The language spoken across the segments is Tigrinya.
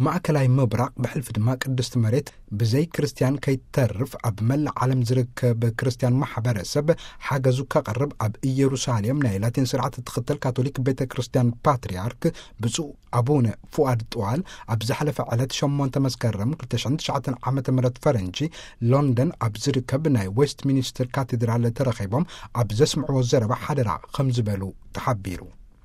ማእከላይ ምብራቕ ብሕልፊ ድማ ቅድስቲ መሬት ብዘይ ክርስትያን ከይተርፍ ኣብ መላእ ዓለም ዝርከብ ክርስትያን ማሕበረሰብ ሓገዙ ከቕርብ ኣብ ኢየሩሳሌም ናይ ላቲን ስርዓት እትኽተል ካቶሊክ ቤተ ክርስትያን ፓትርያርክ ብፁዕ ኣቡነ ፉኣድ ጥዋል ኣብ ዝሓለፈ ዕለት ሸሞንተ መስከረም ክልተ ሽሕን ትሽዓተን ዓመተ ምህረት ፈረንጂ ሎንደን ኣብ ዝርከብ ናይ ዌስት ሚኒስተር ካቴድራል ተረኺቦም ኣብ ዘስምዕዎ ዘረባ ሓደራ ከም ዝበሉ ተሓቢሩ።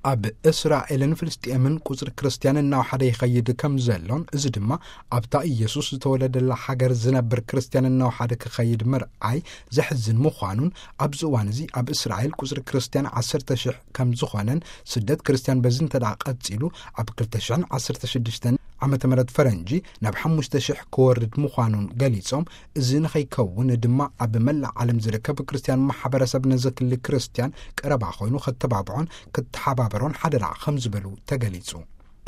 ኣብ እስራኤልን ፍልስጤምን ቁጽሪ ክርስትያን እናወሓደ ይኸይድ ከም ዘሎን፣ እዚ ድማ ኣብታ ኢየሱስ ዝተወለደላ ሃገር ዝነብር ክርስትያን እናወሓደ ክኸይድ ምርኣይ ዘሕዝን ምዃኑን፣ ኣብዚ እዋን እዚ ኣብ እስራኤል ቁጽሪ ክርስትያን ዓሰርተ ሽሕ ከም ዝኾነን፣ ስደት ክርስትያን በዚ እንተ ደኣ ቀጺሉ ኣብ ክልተ ሽሕን ዓሰርተ ሽዱሽተን ዓመተ ምህረት ፈረንጂ ናብ ሓሙሽተ ሽሕ ክወርድ ምዃኑን ገሊጾም፣ እዚ ንኸይከውን ድማ ኣብ መላእ ዓለም ዝርከብ ክርስትያን ማሕበረሰብ ነዚ ክሊ ክርስትያን ቀረባ ኮይኑ ከተባብዖን ክተሓባበሮን ሓደራ ከም ዝበሉ ተገሊጹ።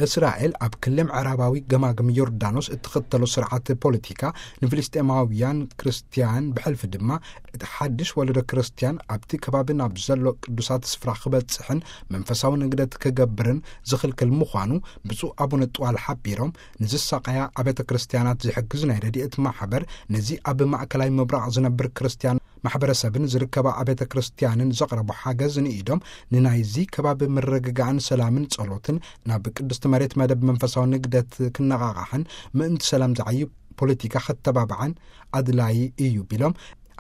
እስራኤል ኣብ ክሊ ምዕራባዊ ገማግም ዮርዳኖስ እትኽተሎ ስርዓት ፖለቲካ ንፍልስጤማውያን ክርስትያን ብሕልፊ ድማ እቲ ሓድሽ ወለዶ ክርስትያን ኣብቲ ከባቢ ናብ ዘሎ ቅዱሳት ስፍራ ክበጽሕን መንፈሳዊ ንግደት ክገብርን ዝኽልክል ምዃኑ ብፁዕ ኣቡነ ጥዋል ሓቢሮም፣ ንዝሳቐያ ኣብያተ ክርስትያናት ዝሕግዝ ናይ ረድኤት ማሕበር ነዚ ኣብ ማእከላይ ምብራቕ ዝነብር ክርስትያን ማሕበረሰብን ዝርከባ ኣብያተ ክርስትያንን ዘቕረቦ ሓገዝ ንኢዶም ንናይዚ ከባቢ ምርግጋእን ሰላምን ጸሎትን ናብ ቅድስቲ መሬት መደብ መንፈሳዊ ንግደት ክነቓቓሕን ምእንቲ ሰላም ዝዓዩ ፖለቲካ ከተባብዓን ኣድላዪ እዩ ቢሎም፣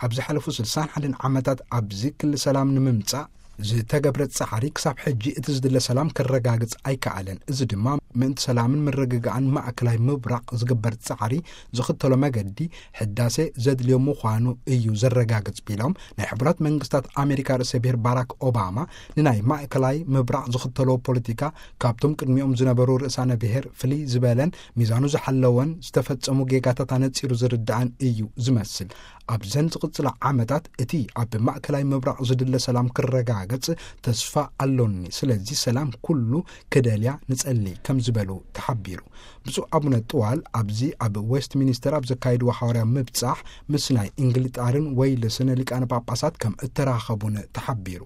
ኣብ ዝሓለፉ ስልሳን ሓደን ዓመታት ኣብዚ ክሊ ሰላም ንምምጻእ ዝተገብረ ጻዕሪ ክሳብ ሕጂ እቲ ዝድለ ሰላም ክረጋግጽ ኣይከኣለን። እዚ ድማ ምእንቲ ሰላምን ምርግጋእን ማእከላይ ምብራቕ ዝግበር ጻዕሪ ዝኽተሎ መገዲ ሕዳሴ ዘድልዮ ምዃኑ እዩ ዘረጋግጽ ቢሎም፣ ናይ ሕቡራት መንግስታት ኣሜሪካ ርእሰ ብሔር ባራክ ኦባማ ንናይ ማእከላይ ምብራቕ ዝኽተሎ ፖለቲካ ካብቶም ቅድሚኦም ዝነበሩ ርእሳነ ብሔር ፍልይ ዝበለን ሚዛኑ ዝሓለወን ዝተፈጸሙ ጌጋታት ኣነጺሩ ዝርዳእን እዩ ዝመስል። ኣብዘን ዝቕጽላ ዓመታት እቲ ኣብ ማእከላይ ምብራቕ ዝድለ ሰላም ክረጋገጽ ተስፋ ኣሎኒ። ስለዚ ሰላም ኩሉ ክደልያ ንጸሊ ከም ዝበሉ ተሓቢሩ። ብፁዕ ኣቡነ ጥዋል ኣብዚ ኣብ ዌስት ሚኒስተር ኣብ ዘካየድዎ ሓዋርያ ምብጻሕ ምስ ናይ እንግሊጣርን ወይልስን ሊቃነ ጳጳሳት ከም እተራኸቡን ተሓቢሩ።